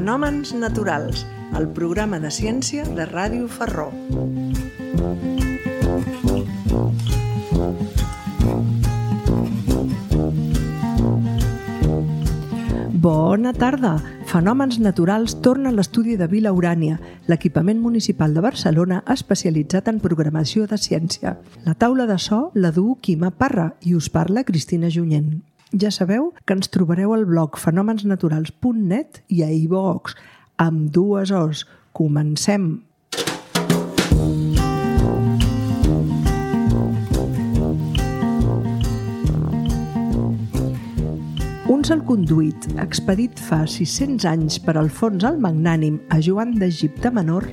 Fenòmens naturals, el programa de ciència de Ràdio Ferró. Bona tarda! Fenòmens naturals torna a l'estudi de Vila Urània, l'equipament municipal de Barcelona especialitzat en programació de ciència. La taula de so la du Quima Parra i us parla Cristina Junyent. Ja sabeu que ens trobareu al blog fenomensnaturals.net i a iVoox, amb dues O's. Comencem! Un salconduit, expedit fa 600 anys per Alfons el Magnànim a Joan d'Egipte Menor,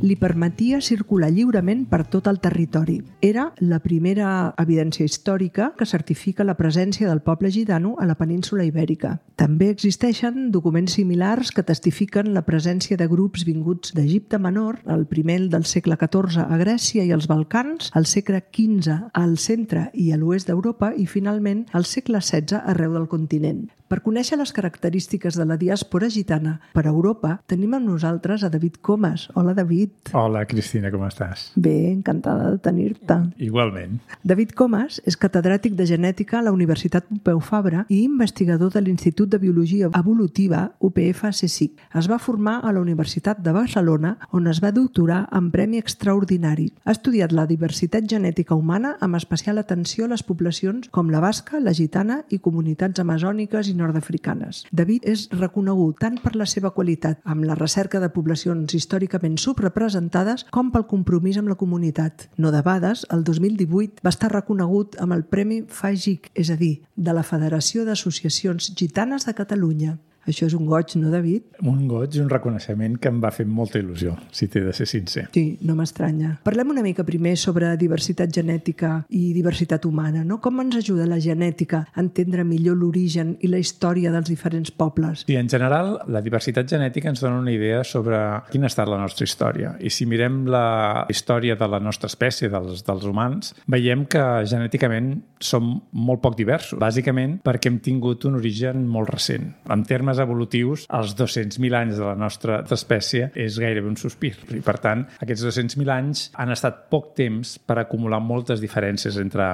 li permetia circular lliurement per tot el territori. Era la primera evidència històrica que certifica la presència del poble gitano a la península Ibèrica. També existeixen documents similars que testifiquen la presència de grups vinguts d'Egipte Menor, el primer del segle XIV a Grècia i els Balcans, al segle XV al centre i a l'oest d'Europa i finalment al segle XVI arreu del continent. Per conèixer les característiques de la diàspora gitana per Europa, tenim amb nosaltres a David Comas. Hola, David. Hola, Cristina, com estàs? Bé, encantada de tenir-te. Igualment. David Comas és catedràtic de genètica a la Universitat Pompeu Fabra i investigador de l'Institut de Biologia Evolutiva UPF-CSIC. Es va formar a la Universitat de Barcelona, on es va doctorar amb premi extraordinari. Ha estudiat la diversitat genètica humana amb especial atenció a les poblacions com la basca, la gitana i comunitats amazòniques i nord-africanes. David és reconegut tant per la seva qualitat amb la recerca de poblacions històricament subrepresentades com pel compromís amb la comunitat. No debades, el 2018 va estar reconegut amb el Premi FAGIC, és a dir, de la Federació d'Associacions Gitanes de Catalunya. Això és un goig, no, David? Un goig i un reconeixement que em va fer molta il·lusió, si t'he de ser sincer. Sí, no m'estranya. Parlem una mica primer sobre diversitat genètica i diversitat humana, no? Com ens ajuda la genètica a entendre millor l'origen i la història dels diferents pobles? Sí, en general, la diversitat genètica ens dona una idea sobre quina ha estat la nostra història. I si mirem la història de la nostra espècie, dels humans, veiem que genèticament som molt poc diversos. Bàsicament perquè hem tingut un origen molt recent. En termes evolutius, els 200.000 anys de la nostra espècie és gairebé un sospir. I, per tant, aquests 200.000 anys han estat poc temps per acumular moltes diferències entre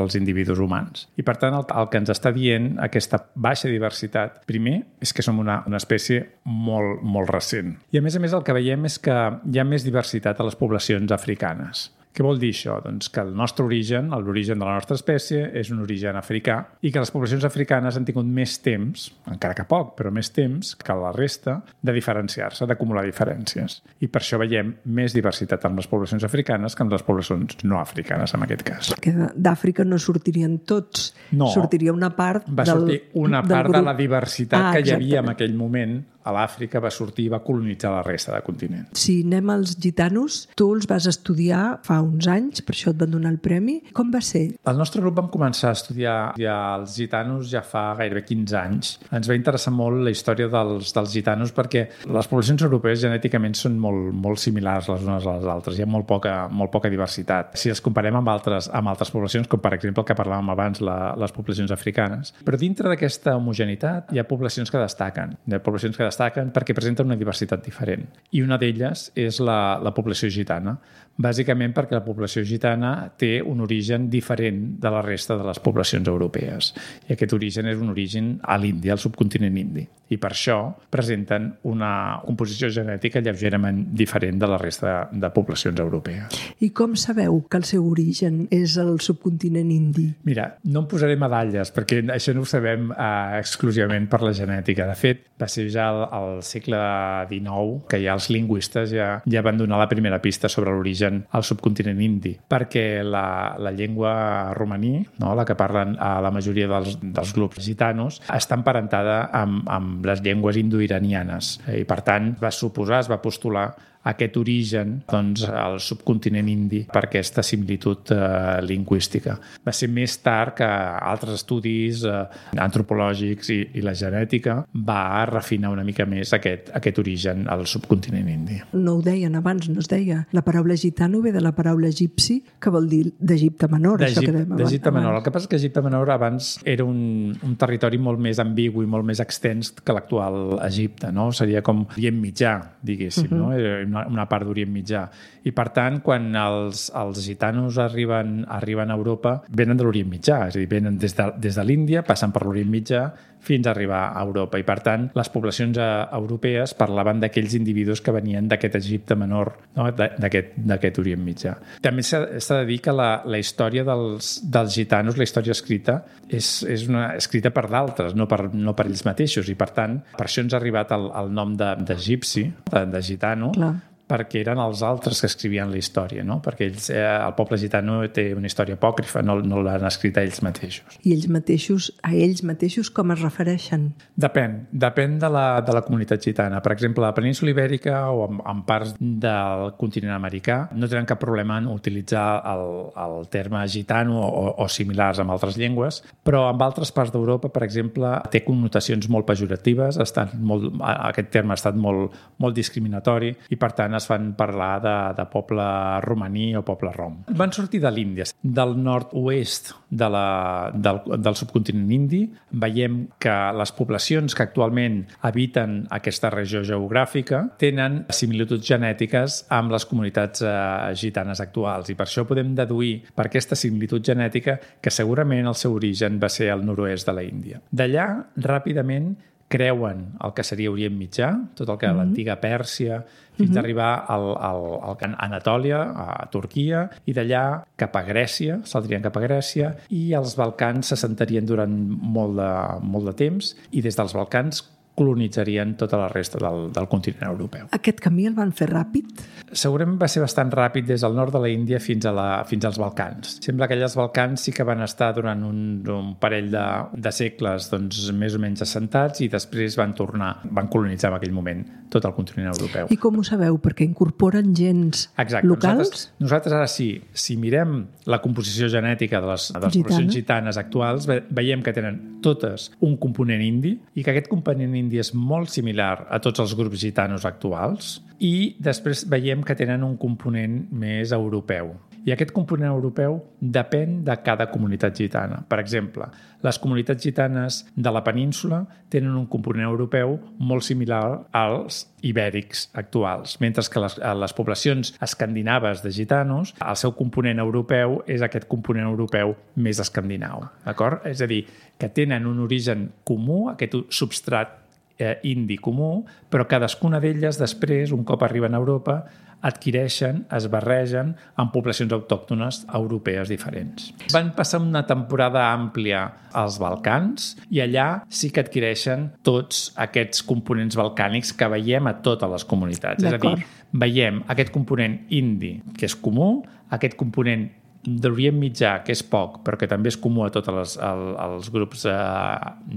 els individus humans. I, per tant, el que ens està dient aquesta baixa diversitat, primer, és que som una espècie molt, molt recent. I, a més, el que veiem és que hi ha més diversitat a les poblacions africanes. Què vol dir això? Doncs que el nostre origen, l'origen de la nostra espècie, és un origen africà i que les poblacions africanes han tingut més temps, encara que poc, però més temps que la resta, de diferenciar-se, d'acumular diferències. I per això veiem més diversitat en les poblacions africanes que en les poblacions no africanes, en aquest cas. Que d'Àfrica no sortirien tots. No. Sortiria una part va sortir una part de la diversitat que hi havia en aquell moment. A l'Àfrica va sortir i va colonitzar la resta del continent. Si anem als gitanos, tu els vas estudiar fa uns anys, per això et van donar el premi. Com va ser? El nostre grup vam començar a estudiar els gitanos ja fa gairebé 15 anys. Ens va interessar molt la història dels gitanos perquè les poblacions europees genèticament són molt similars les unes a les altres. Hi ha molt poca diversitat. Si els comparem amb altres poblacions, com per exemple el que parlàvem abans, les poblacions africanes. Però dintre d'aquesta homogeneïtat hi ha poblacions que destaquen. Hi ha poblacions que destaquen perquè presenten una diversitat diferent. I una d'elles és la població gitana. Bàsicament perquè la població gitana té un origen diferent de la resta de les poblacions europees. I aquest origen és un origen a l'Índia, al subcontinent indi. I per això presenten una composició genètica lleugerament diferent de la resta de poblacions europees. I com sabeu que el seu origen és el subcontinent indi? Mira, no em posaré medalles perquè això no ho sabem exclusivament per la genètica. De fet, va ser ja al segle XIX que ja els lingüistes ja van donar la primera pista sobre l'origen al subcontinent indi, perquè la llengua romaní, no, la que parlen a la majoria dels grups gitanos, està emparentada amb les llengües indoiranianes i, per tant, es va postular aquest origen al subcontinent indi per aquesta similitud lingüística. Va ser més tard que altres estudis antropològics i la genètica va refinar una mica més aquest origen al subcontinent indi. No ho deien abans, no es deia. La paraula gitano ve de la paraula egipci, que vol dir d'Egipte Menor. D'Egipte Menor. El que passa és que Egipte Menor abans era un territori molt més ambigu i molt més extens que l'actual Egipte, no? Seria com Orient Mitjà, diguéssim, no? Una part d'Orient Mitjà. I per tant, quan els gitanos arriben a Europa, venen de l'Orient Mitjà, és a dir, venen des de l'Índia, passen per l'Orient Mitjà fins a arribar a Europa. I per tant, les poblacions europees parlaven d'aquells individus que venien d'aquest Egipte Menor, no? d'aquest Orient Mitjà. També s'ha de dir que la història dels gitanos, la història escrita, és escrita per d'altres, no per ells mateixos. I per tant, per això ens ha arribat el nom d'egipci, de gitano, Clar. Perquè eren els altres que escrivien la història, no? Perquè el poble gitano té una història apòcrifa, no l'han escrit a ells mateixos. I a ells mateixos com es refereixen? Depèn de la comunitat gitana. Per exemple, a la península Ibèrica o en parts del continent americà no tenen cap problema en utilitzar el terme gitano o similars amb altres llengües, però en altres parts d'Europa, per exemple, té connotacions molt pejoratives, aquest terme ha estat molt discriminatori i, per tant, es van parlar de poble romaní o poble rom. Van sortir de l'Índia, del nord-oest del subcontinent indi. Veiem que les poblacions que actualment habiten aquesta regió geogràfica tenen similituds genètiques amb les comunitats gitanes actuals i per això podem deduir per aquesta similitud genètica que segurament el seu origen va ser al nord-oest de la Índia. D'allà, ràpidament, creuen el que seria Orient Mitjà, tot el que l'antiga Pèrsia, fins a arribar al Anatòlia, a Turquia, i d'allà cap a Grècia, saldrien cap a Grècia, i els Balcans s'assentarien durant molt de temps, i des dels Balcans colonitzarien tota la resta del continent europeu. Aquest camí el van fer ràpid? Segurament va ser bastant ràpid des del nord de la Índia fins als Balcans. Sembla que allà els Balcans sí que van estar durant un parell de segles més o menys assentats i després van colonitzar en aquell moment tot el continent europeu. I com ho sabeu? Perquè incorporen gens locals? Nosaltres ara sí, si mirem la composició genètica de les poblacions gitanes actuals, veiem que tenen totes un component indi i que aquest component indi és molt similar a tots els grups gitanos actuals i després veiem que tenen un component més europeu. I aquest component europeu depèn de cada comunitat gitana. Per exemple, les comunitats gitanes de la península tenen un component europeu molt similar als ibèrics actuals, mentre que les poblacions escandinaves de gitanos, el seu component europeu és aquest component europeu més escandinau. D'acord? És a dir, que tenen un origen comú, aquest substrat indi comú, però cadascuna d'elles després, un cop arriben a Europa, adquireixen, es barregen amb poblacions autòctones europees diferents. Van passar una temporada àmplia als Balcans i allà sí que adquireixen tots aquests components balcànics que veiem a totes les comunitats. És a dir, veiem aquest component indi, que és comú, aquest component d'Orient Mitjà, que és poc, però que també és comú a tots els grups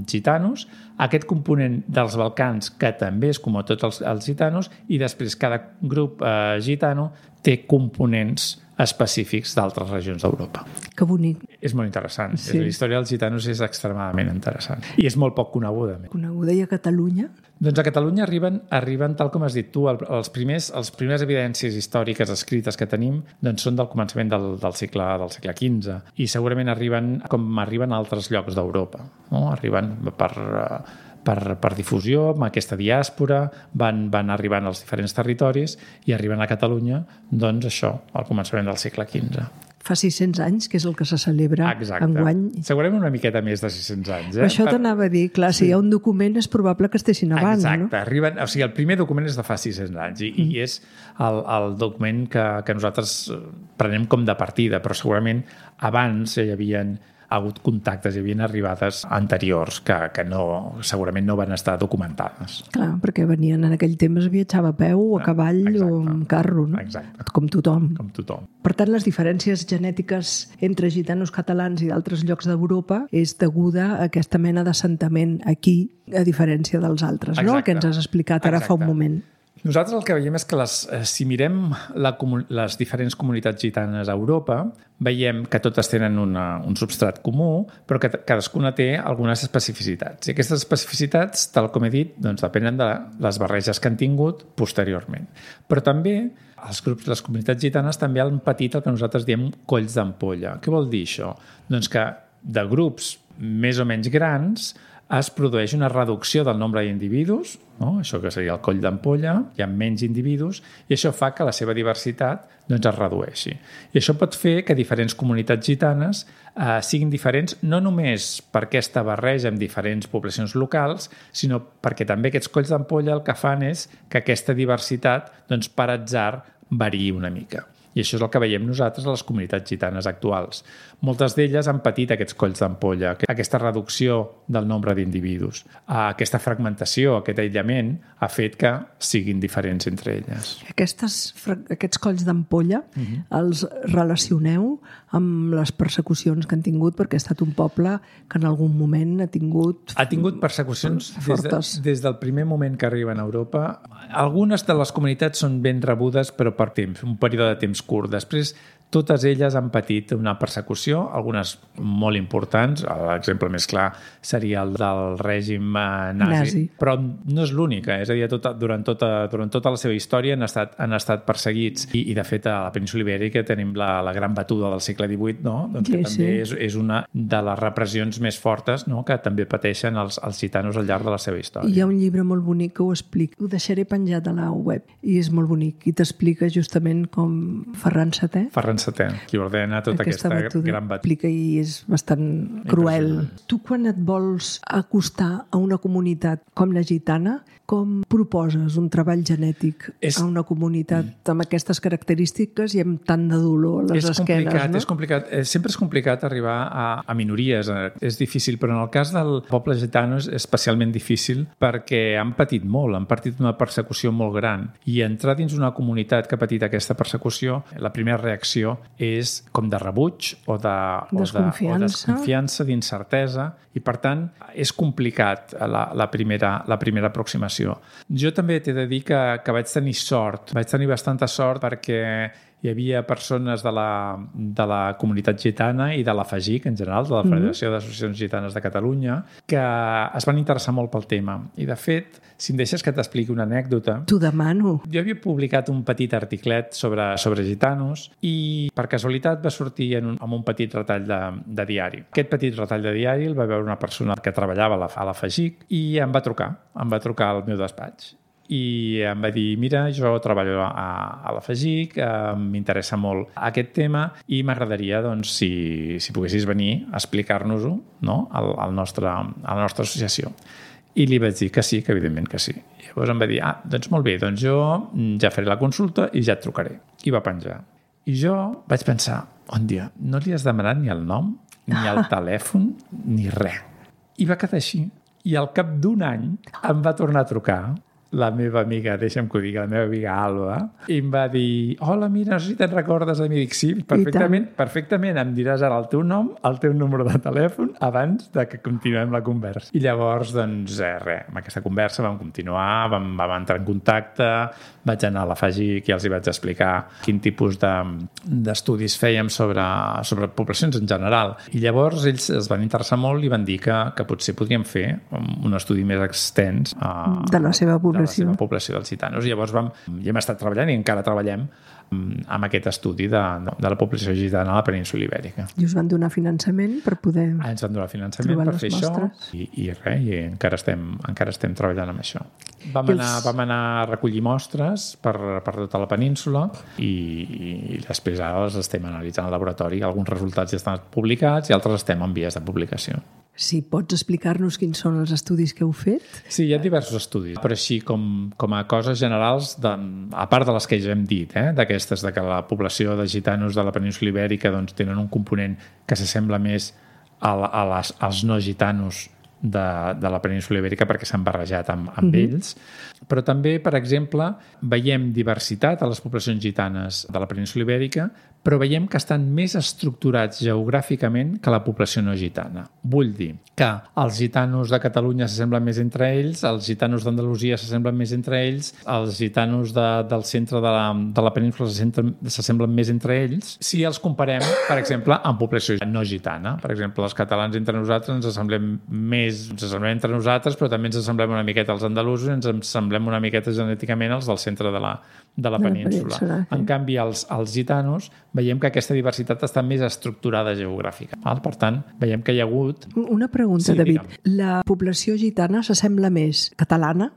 gitanos, aquest component dels Balcans, que també és comú a tots els gitanos, i després cada grup gitano té components específics d'altres regions d'Europa. Que bonic. És molt interessant. Sí. La història dels gitanos és extremadament interessant. I és molt poc coneguda. Coneguda. I a Catalunya? Doncs a Catalunya arriben tal com has dit tu, les primeres evidències històriques escrites que tenim són del començament del segle XV i segurament arriben com arriben a altres llocs d'Europa. No? Arriben per difusió, amb aquesta diàspora, van arribant als diferents territoris i arriben a Catalunya, doncs això, al començament del segle XV. Fa 600 anys, que és el que se celebra enguany. Segurament una miqueta més de 600 anys. Això t'anava a dir, clar, si hi ha un document és probable que estiguessin abans, no? Exacte, el primer document és de fa 600 anys i és el document que nosaltres prenem com de partida, però segurament abans hi havien hagut contactes, hi havia arribades anteriors que segurament no van estar documentades. Clar, perquè venien en aquell temps, viatjava a peu o a cavall o amb carro, no? Exacte. Com tothom. Per tant, les diferències genètiques entre gitanos catalans i d'altres llocs d'Europa és deguda a aquesta mena d'assentament aquí, a diferència dels altres, no? El que ens has explicat ara fa un moment. Nosaltres el que veiem és que si mirem les diferents comunitats gitanes a Europa, veiem que totes tenen un substrat comú, però que cadascuna té algunes especificitats. I aquestes especificitats, tal com he dit, doncs depenen de les barreges que han tingut posteriorment. Però també les comunitats gitanes també han patit el que nosaltres diem colls d'ampolla. Què vol dir això? Doncs que de grups més o menys grans es produeix una reducció del nombre d'individus, no? Això que seria el coll d'ampolla, hi ha menys individus, i això fa que la seva diversitat doncs, es redueixi. I això pot fer que diferents comunitats gitanes siguin diferents no només per aquesta barreja amb diferents poblacions locals, sinó perquè també aquests colls d'ampolla el que fan és que aquesta diversitat, doncs, per atzar, variï una mica. I això és el que veiem nosaltres a les comunitats gitanes actuals. Moltes d'elles han patit aquests colls d'ampolla, aquesta reducció del nombre d'individus. Aquesta fragmentació, aquest aïllament, ha fet que siguin diferents entre elles. Aquests colls d'ampolla els relacioneu amb les persecucions que han tingut, perquè ha estat un poble que en algun moment ha tingut... Ha tingut persecucions fortes. Des del primer moment que arriben a Europa. Algunes de les comunitats són ben rebudes, però per temps, un període de temps curt. Després, totes elles han patit una persecució, algunes molt importants. L'exemple més clar seria el del règim nazi. Però no és l'única, és a dir, durant tota la seva història han estat perseguits. I de fet, a la península Ibèrica tenim la gran batuda del segle XVIII, no? Doncs que també és una de les repressions més fortes, no? Que també pateixen els gitanos al llarg de la seva història. Hi ha un llibre molt bonic que ho explica. Ho deixaré penjat a la web i és molt bonic. I t'explica justament com Ferran VII, qui ordena tota aquesta gran batuda. I és bastant cruel. Tu, quan et vols acostar a una comunitat com la gitana, com proposes un treball genètic a una comunitat amb aquestes característiques i amb tant de dolor a les esquenes? És complicat. Sempre és complicat arribar a minories. És difícil, però en el cas del poble gitano és especialment difícil perquè han patit molt, han patit una persecució molt gran. I entrar dins una comunitat que ha patit aquesta persecució, la primera reacció és com de rebuig o de desconfiança, d'incertesa, i per tant és complicat la primera aproximació. Jo també t'he de dir que vaig tenir sort, vaig tenir bastanta sort perquè hi havia persones de la comunitat gitana i de la FAGIC en general, de la Federació d'Associacions Gitanes de Catalunya, que es van interessar molt pel tema. I de fet, si em deixes que t'expliqui una anècdota... T'ho demano. Jo havia publicat un petit articlet sobre gitanos i per casualitat va sortir en un petit retall de diari. Aquest petit retall de diari el va veure una persona que treballava a la FAGIC i em va trucar al meu despatx. I em va dir, mira, jo treballo a la FAGIC, m'interessa molt aquest tema i m'agradaria, doncs, si poguessis venir a explicar-nos-ho, no? a la nostra associació. I li vaig dir que sí, que evidentment que sí. I llavors em va dir, doncs molt bé, doncs jo ja faré la consulta i ja et trucaré. I va penjar. I jo vaig pensar, dia, no li has demanat ni el nom, ni el telèfon, ni res. I va quedar així. I al cap d'un any em va tornar a trucar la meva amiga, deixa'm que ho digui, la meva amiga Alba, i em va dir, hola, mira, no sé si te'n recordes de mi. Dic, sí, perfectament, em diràs ara el teu nom, el teu número de telèfon, abans de que continuem la conversa. I llavors, doncs, res, amb aquesta conversa vam continuar, vam entrar en contacte, vaig anar a la FAGIC i els hi vaig explicar quin tipus d'estudis fèiem sobre poblacions en general. I llavors ells es van interessar molt i van dir que potser podríem fer un estudi més extens de la seva població dels gitanos. I llavors ja hem estat treballant i encara treballem amb aquest estudi de la població gitana a la península Ibèrica. I us van donar finançament per poder ens van donar finançament per fer mostres. Això i encara estem treballant amb això. Vam anar a recollir mostres per tota la península i després ara les estem analitzant al laboratori. Alguns resultats ja estan publicats i altres estem en vies de publicació. Sí, pots explicar-nos quins són els estudis que heu fet? Sí, hi ha diversos estudis, però així com a coses generals, a part de les que ja hem dit, d'aquestes, que la població de gitanos de la península Ibèrica doncs, tenen un component que s'assembla més als no gitanos de la península Ibèrica perquè s'han barrejat amb ells, però també, per exemple, veiem diversitat a les poblacions gitanes de la península Ibèrica però veiem que estan més estructurats geogràficament que la població no gitana. Vull dir que els gitanos de Catalunya s'assemblen més entre ells, els gitanos d'Andalusia s'assemblen més entre ells, els gitanos del centre de la península s'assemblen més entre ells, si els comparem, per exemple, amb població no gitana. Per exemple, els catalans entre nosaltres ens assemblem entre nosaltres, però també ens assemblem una miqueta als andalusos i ens assemblem una miqueta genèticament als del centre de la península. En canvi, els gitanos veiem que aquesta diversitat està més estructurada geogràfica. Per tant, veiem que hi ha hagut... Una pregunta, sí, David. Digue'm. La població gitana s'assembla més catalana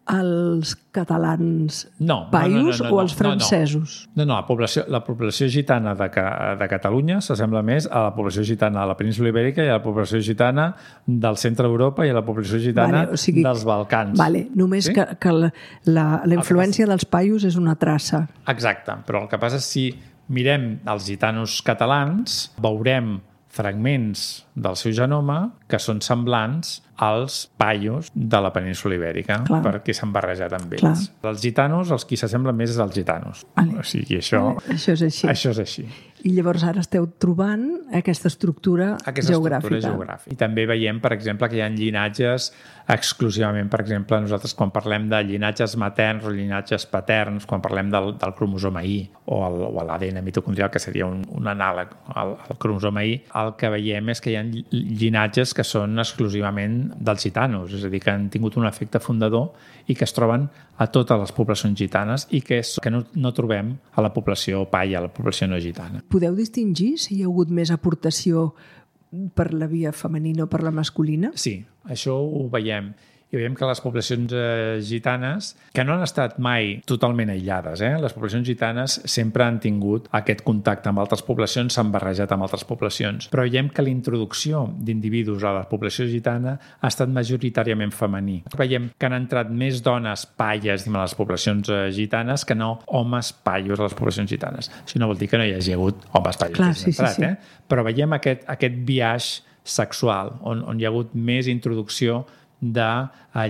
als catalans paios o als francesos? No, la població gitana de Catalunya s'assembla més a la població gitana de la península Ibèrica i a la població gitana del centre d'Europa i a la població gitana dels Balcans. Només que la influència dels paios és una traça. Exacte, però el que passa és si mirem els gitanos catalans, veurem fragments del seu genoma que són semblants als paios de la península Ibèrica, perquè s'han barrejat amb ells. Els gitanos, els qui s'assemblen més és als gitanos. O sigui, això és així. Això és així. I llavors ara esteu trobant aquesta estructura geogràfica. I també veiem, per exemple, que hi ha llinatges exclusivament, per exemple, nosaltres quan parlem de llinatges materns o llinatges paterns, quan parlem del cromosoma I o l'ADN mitocondrial, que seria un anàleg al cromosoma I, el que veiem és que hi ha llinatges que són exclusivament dels gitanos, és a dir, que han tingut un efecte fundador i que es troben a totes les poblacions gitanes i que no trobem a la població paia, a la població no gitana. Podeu distingir si hi ha hagut més aportació per la via femenina o per la masculina? Sí, això ho veiem. I veiem que les poblacions gitanes, que no han estat mai totalment aïllades, les poblacions gitanes sempre han tingut aquest contacte amb altres poblacions, s'han barrejat amb altres poblacions, però veiem que la introducció d'individus a la població gitana ha estat majoritàriament femení. Veiem que han entrat més dones paies a les poblacions gitanes que no homes paios a les poblacions gitanes. Això no vol dir que no hi hagi hagut homes paios que hagin entrat, però veiem aquest biaix sexual on hi ha hagut més introducció de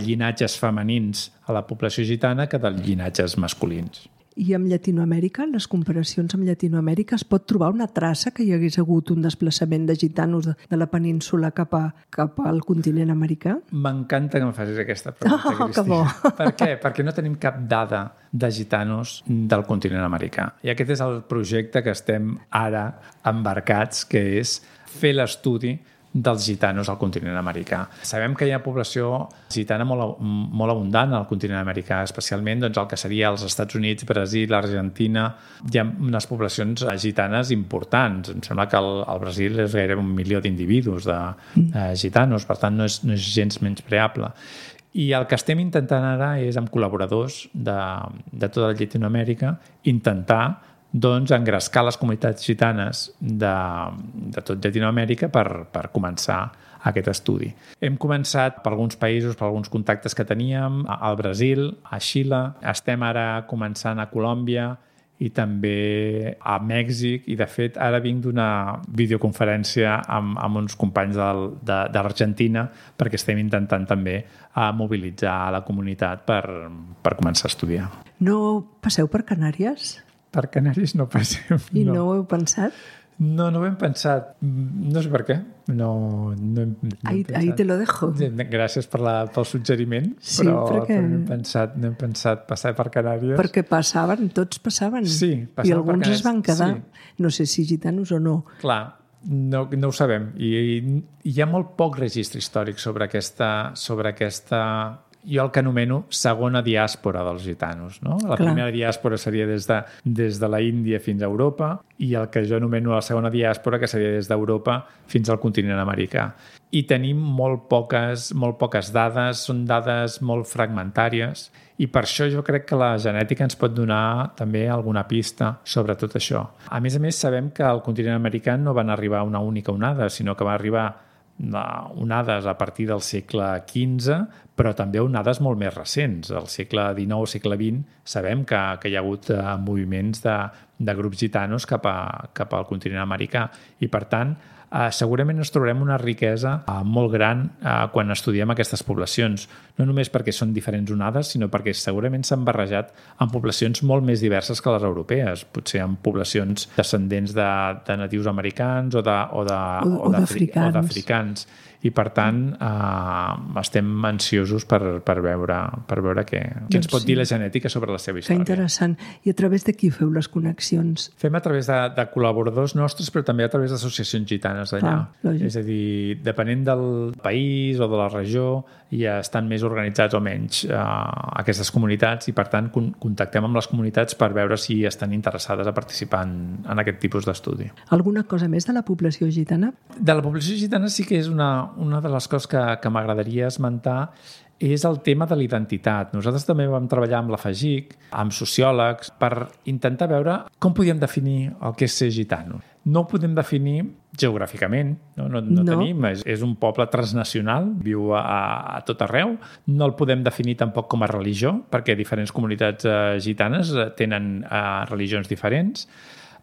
llinatges femenins a la població gitana que de llinatges masculins. I amb Llatinoamèrica, les comparacions amb Llatinoamèrica, es pot trobar una traça que hi hagués hagut un desplaçament de gitanos de la península cap al continent americà? M'encanta que em facis aquesta pregunta, Cristina. Que bo! Per què? Perquè no tenim cap dada de gitanos del continent americà. I aquest és el projecte que estem ara embarcats, que és fer l'estudi dels gitanos al continent americà. Sabem que hi ha població gitana molt abundant al continent americà, especialment el que seria els Estats Units, Brasil, Argentina. Hi ha unes poblacions gitanes importants. Em sembla que al Brasil és gairebé 1 milió d'individus de gitanos, per tant no és gens menyspreable. I el que estem intentant ara és, amb col·laboradors de tota Llatinoamèrica, intentar engrescar les comunitats gitanes de tot Llatinoamèrica per començar aquest estudi. Hem començat per alguns països, per alguns contactes que teníem, al Brasil, a Xile, estem ara començant a Colòmbia i també a Mèxic, i de fet ara vinc d'una videoconferència amb uns companys d'Argentina perquè estem intentant també mobilitzar la comunitat per començar a estudiar. No passeu per Canàries? Per Canàries no passem. I no ho heu pensat? No ho hem pensat. No sé per què. No hem pensat. Ahí te lo dejo. Gràcies pel suggeriment, sí, però no hem pensat passar per Canàries. Perquè tots passaven. Sí, i alguns es van quedar. Sí. No sé si gitanos o no. Clar, no ho sabem. I hi ha molt poc registre històric sobre aquesta jo el que anomeno segona diàspora dels gitanos. No? La primera diàspora seria des de la Índia fins a Europa, i el que jo anomeno la segona diàspora, que seria des d'Europa fins al continent americà. I tenim molt poques dades, són dades molt fragmentàries, i per això jo crec que la genètica ens pot donar també alguna pista sobre tot això. A més, sabem que al continent americà no van arribar una única onada, sinó que va arribar onades a partir del segle XV, però també onades molt més recents. Al segle XIX, segle XX, sabem que hi ha hagut moviments de grups gitanos cap al continent americà. I, per tant, segurament ens trobarem una riquesa molt gran quan estudiem aquestes poblacions. No només perquè són diferents onades, sinó perquè segurament s'han barrejat amb poblacions molt més diverses que les europees. Potser amb poblacions descendents de natius americans o d'africans. I, per tant, estem ansiosos per veure què ens pot dir la genètica sobre la seva història. Que interessant. I a través de qui feu les connexions? Fem a través de col·laboradors nostres, però també a través d'associacions gitanes d'allà. És a dir, depenent del país o de la regió, ja estan més organitzats o menys aquestes comunitats i, per tant, contactem amb les comunitats per veure si estan interessades a participar en aquest tipus d'estudi. Alguna cosa més de la població gitana? De la població gitana sí que és una de les coses que m'agradaria esmentar és el tema de la identitat. Nosaltres també vam treballar amb la FAGIC, amb sociòlegs, per intentar veure com podíem definir el que és ser gitano. No ho podem definir geogràficament, no tenim, és un poble transnacional, viu a tot arreu. No el podem definir tampoc com a religió, perquè diferents comunitats gitanes tenen religions diferents.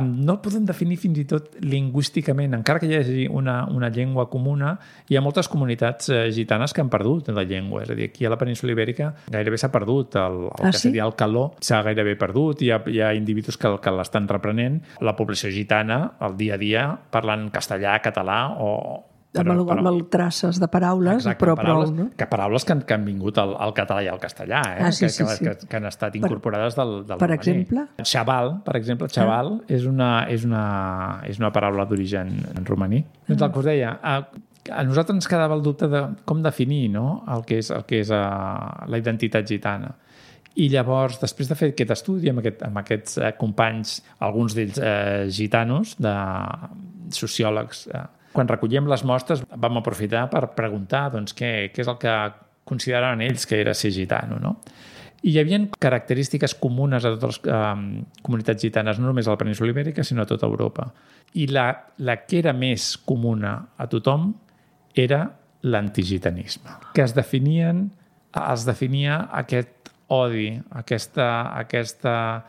No el podem definir fins i tot lingüísticament, encara que hi hagi una llengua comuna. Hi ha moltes comunitats gitanes que han perdut la llengua, és a dir, aquí a la península Ibèrica gairebé s'ha perdut que seria el caló, s'ha gairebé perdut, hi ha individus que l'estan reprenent. La població gitana, el dia a dia, parlant castellà, català amb traces de paraules, exacte, però paraules, prou, no? Que paraules que han vingut al català i al castellà, sí. Que han estat incorporades del Per exemple? Xaval, per exemple, xaval és una paraula d'origen romaní. Doncs el que us deia, a nosaltres ens quedava el dubte de com definir, no?, el que és la identitat gitana. I llavors, després de fer aquest estudi amb aquests companys, alguns d'ells gitanos, de sociòlegs, quan recollíem les mostres vam aprofitar per preguntar què és el que consideraven ells que era ser gitano, no? I hi havia característiques comunes a totes les comunitats gitanes, no només a la península Ibèrica, sinó a tota Europa. I la que era més comuna a tothom era l'antigitanisme, que es definia aquest odi, aquesta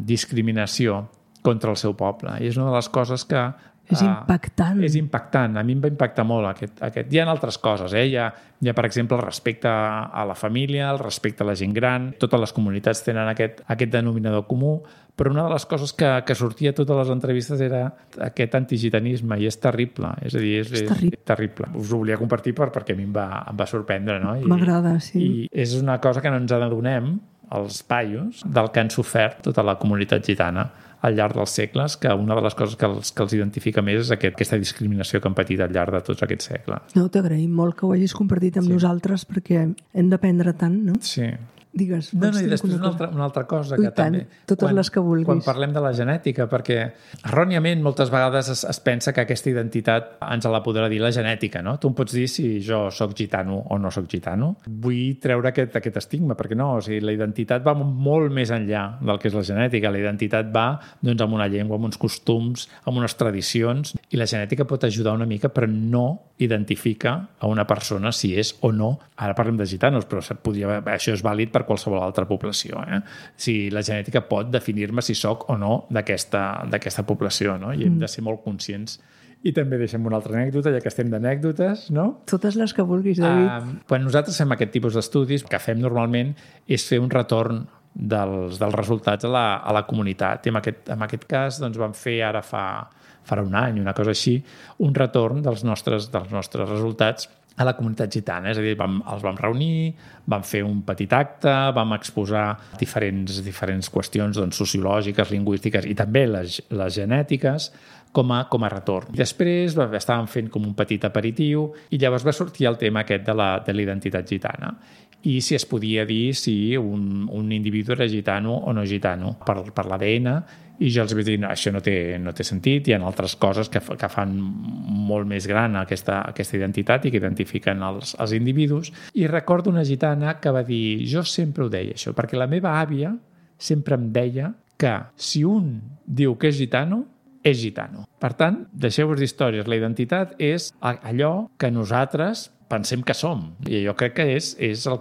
discriminació contra el seu poble. I és una de les coses que és impactant. És impactant. A mi em va impactar molt aquest. Hi ha altres coses. Hi ha, per exemple, el respecte a la família, el respecte a la gent gran. Totes les comunitats tenen aquest denominador comú, però una de les coses que sortia a totes les entrevistes era aquest antigitanisme, i és terrible. És a dir, és terrible. Us ho volia compartir perquè a mi em va sorprendre, no? M'agrada, sí. I és una cosa que no ens adonem, els paios, del que han sofert tota la comunitat gitana al llarg dels segles, que una de les coses que els identifica més és aquesta discriminació que han patit al llarg de tots aquests segles. No, t'agraïm molt que ho hagis compartit amb nosaltres, perquè hem d'aprendre tant, no? Sí. Digues. No, i després una altra cosa que també... Totes les que vulguis. Quan parlem de la genètica, perquè erròniament moltes vegades es pensa que aquesta identitat ens la podrà dir la genètica, no? Tu em pots dir si jo soc gitano o no soc gitano. Vull treure aquest estigma, perquè no, o sigui, la identitat va molt més enllà del que és la genètica. La identitat va amb una llengua, amb uns costums, amb unes tradicions, i la genètica pot ajudar una mica, però no identifica a una persona si és o no. Ara parlem de gitanos, però això és vàlid per qualsevol altra població. Si la genètica pot definir-me si soc o no d'aquesta població, no? I hem de ser molt conscients. I també deixem una altra anècdota, ja que estem d'anècdotes, no? Totes les que vulguis, David. Quan nosaltres fem aquest tipus d'estudis, el que fem normalment és fer un retorn dels resultats a la comunitat. I en aquest cas vam fer ara farà un any, una cosa així, un retorn dels nostres resultats a la comunitat gitana. És a dir, els vam reunir, vam fer un petit acte, vam exposar diferents qüestions sociològiques, lingüístiques i també les genètiques com a retorn. I després estàvem fent com un petit aperitiu i llavors va sortir el tema aquest de la identitat gitana i si es podia dir si un individu era gitano o no gitano per l'ADN. I jo els vaig dir, no, això no té sentit, hi ha altres coses que fan molt més gran aquesta identitat i que identifiquen els individus. I recordo una gitana que va dir, jo sempre ho deia això, perquè la meva àvia sempre em deia que si un diu que és gitano, és gitano. Per tant, deixeu-vos d'històries, la identitat és allò que nosaltres pensem que som. I jo crec que és el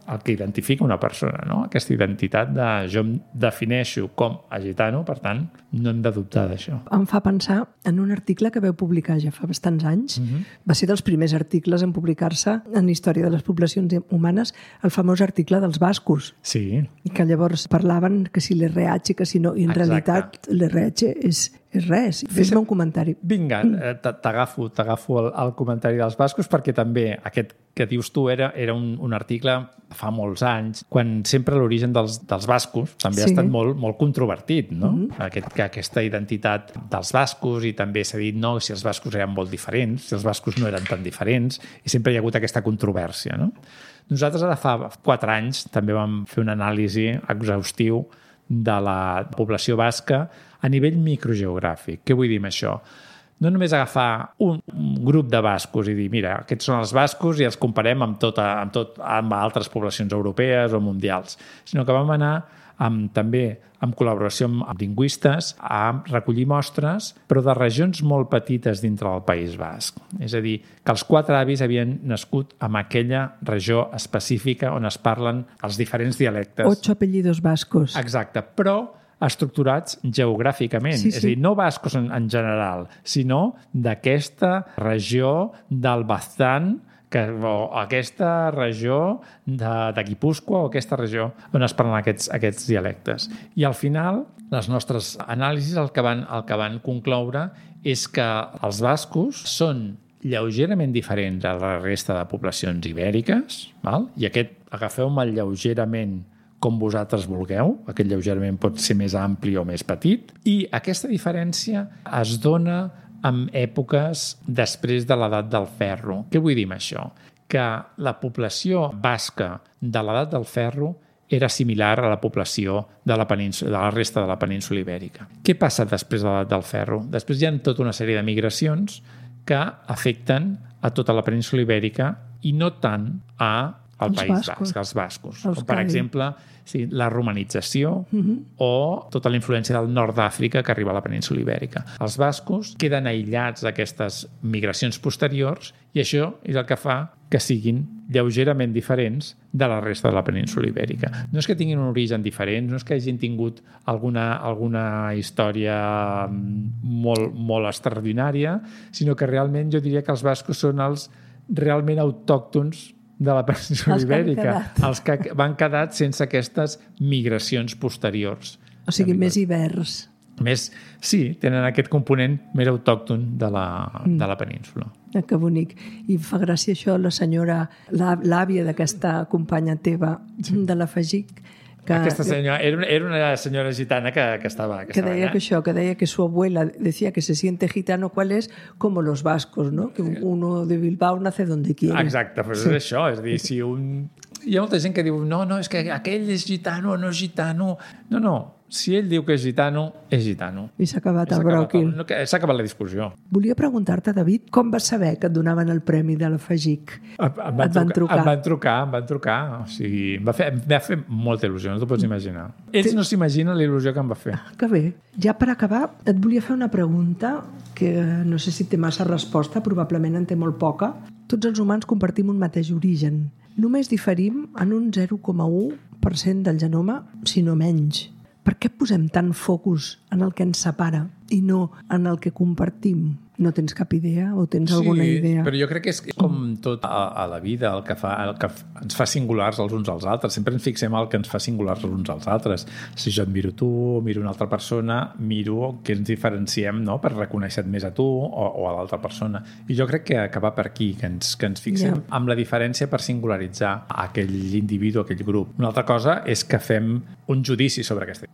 el que identifica una persona, no? Aquesta identitat de jo em defineixo com a gitano, per tant, no hem de dubtar d'això. Em fa pensar en un article que veu publicar ja fa bastants anys. Va ser dels primers articles en publicar-se en Història de les poblacions humanes, el famós article dels bascos. Sí. Que llavors parlaven que si l'RH, que si no, i en realitat l'RH és res. Fes-me un comentari. Vinga, t'agafo el comentari dels bascos, perquè també aquest que dius tu era un article fa molts anys, quan sempre l'origen dels bascos també ha estat molt controvertit, no? Aquesta identitat dels bascos, i també s'ha dit no, si els bascos eren molt diferents, si els bascos no eren tan diferents, i sempre hi ha hagut aquesta controvèrsia, no? Nosaltres ara fa 4 anys també vam fer una anàlisi exhaustiu de la població basca a nivell microgeogràfic. Què vull dir amb això? No només agafar un grup de bascos i dir, mira, aquests són els bascos i els comparem amb altres poblacions europees o mundials, sinó que vam anar també en col·laboració amb lingüistes a recollir mostres, però de regions molt petites dintre del País Basc. És a dir, que els 4 avis havien nascut en aquella regió específica on es parlen els diferents dialectes. 8 apellidos bascos. Exacte, però estructurats geogràficament. És a dir, no bascos en general, sinó d'aquesta regió del Baztán, o aquesta regió de Guipúscoa, o aquesta regió on es parlen aquests dialectes. I al final, les nostres anàlisis el que van concloure és que els bascos són lleugerament diferents a la resta de poblacions ibèriques, i agafeu-me lleugerament com vosaltres vulgueu, aquest lleugerament pot ser més ampli o més petit, i aquesta diferència es dona en èpoques després de l'edat del ferro. Què vull dir amb això? Que la població basca de l'edat del ferro era similar a la població de la resta de la península ibèrica. Què passa després de l'edat del ferro? Després hi ha tota una sèrie de migracions que afecten a tota la península ibèrica i no tant al País Basc, als bascos. Per exemple, la romanització o tota la influència del nord d'Àfrica que arriba a la península ibèrica. Els bascos queden aïllats d'aquestes migracions posteriors i això és el que fa que siguin lleugerament diferents de la resta de la península ibèrica. No és que tinguin un origen diferent, no és que hagin tingut alguna història molt extraordinària, sinó que realment jo diria que els bascos són els realment autòctons de la península ibèrica, els que van quedar sense aquestes migracions posteriors. O sigui, més hiverns. Sí, tenen aquest component més autòcton de la península. Que bonic. I fa gràcia això, la senyora, l'àvia d'aquesta companya teva de la FAGIC, aquesta senyora, era una senyora gitana que estava que deia allà. Que deia que su abuela decía que se siente gitano, ¿cuál es? Como los vascos, ¿no? Que uno de Bilbao nace donde quiere. Exacte, però és això, és a dir, si hi ha molta gent que diu, no, és que aquell és gitano o no és gitano. No, si ell diu que és gitano, és gitano. I s'ha acabat el bròquil. S'ha acabat la discussió. Volia preguntar-te, David, com vas saber que et donaven el premi de la FAGIC? Et van trucar? Em van trucar. O sigui, em va fer molta il·lusió, no t'ho pots imaginar. Ells no s'imaginen la il·lusió que em va fer. Que bé. Ja per acabar, et volia fer una pregunta que no sé si té massa resposta, probablement en té molt poca. Tots els humans compartim un mateix origen. Només diferim en un 0,1% del genoma, si no menys. Per què posem tant focus en el que ens separa i no en el que compartim? No tens cap idea o tens alguna idea? Sí, però jo crec que és com tot a la vida, el que ens fa singulars els uns als altres. Sempre ens fixem el que ens fa singulars els uns als altres. Si jo et miro tu, miro una altra persona, miro que ens diferenciem, no?, per reconèixer-te més a tu o a l'altra persona. I jo crec que va per aquí, que ens fixem amb la diferència per singularitzar aquell individu, aquell grup. Una altra cosa és que fem un judici sobre aquesta.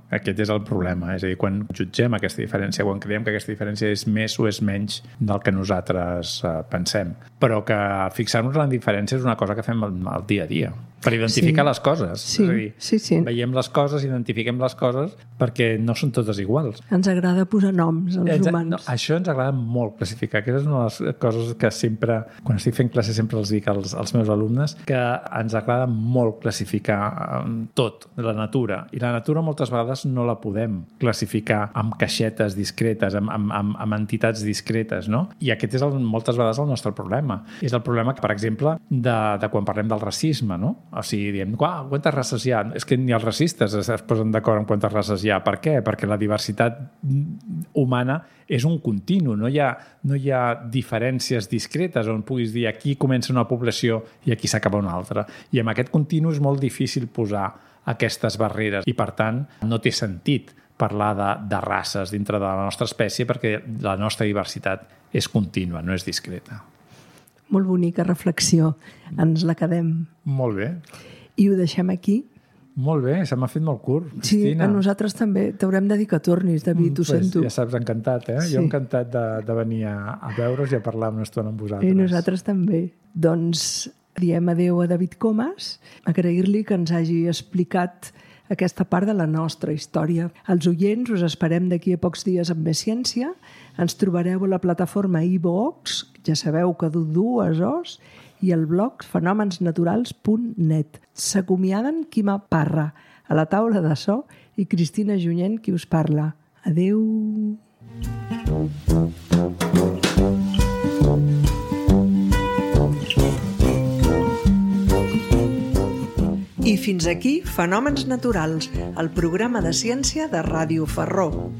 Aquest és el problema. És a dir, quan jutgem aquesta diferència, quan creiem que aquesta diferència és més o és menys del que nosaltres pensem. Però que fixar-nos en la diferència és una cosa que fem al dia a dia, per identificar les coses. Sí, és a dir, veiem les coses, identifiquem les coses, perquè no són totes iguals. Ens agrada posar noms als humans. No, això ens agrada molt classificar. Aquesta és una de les coses que sempre, quan estic fent classe, sempre els dic als meus alumnes, que ens agrada molt classificar tot, la natura. I la natura moltes vegades no la podem classificar amb caixetes discretes, amb entitats discretes, no? I aquest és moltes vegades el nostre problema. És el problema, per exemple, de quan parlem del racisme, no? O sigui, diem, quantes races hi ha? És que ni els racistes es posen d'acord en quantes races hi ha. Per què? Perquè la diversitat humana és un continu. No hi ha diferències discretes on puguis dir aquí comença una població i aquí s'acaba una altra. I amb aquest continu és molt difícil posar aquestes barreres i, per tant, no té sentit parlar de races dintre de la nostra espècie perquè la nostra diversitat és contínua, no és discreta. Molt bonica reflexió. Ens la quedem. Molt bé. I ho deixem aquí? Molt bé, se m'ha fet molt curt. Sí, Cristina. A nosaltres també. T'haurem de dir que tornis, David, ho sento. Ja saps, encantat, eh? Sí. Jo encantat de venir a veure's i a parlar una estona amb vosaltres. I nosaltres també. Doncs diem adeu a David Comas, agrair-li que ens hagi explicat aquesta part de la nostra història. Els oients us esperem d'aquí a pocs dies amb més ciència. Ens trobareu a la plataforma iVoox, ja sabeu que du 2 O's, i el blog fenomensnaturals.net. S'acomiaden Quima Parra, a la taula de so, i Cristina Junyent, qui us parla. Adeu! I fins aquí Fenòmens Naturals, el programa de ciència de Ràdio Ferró.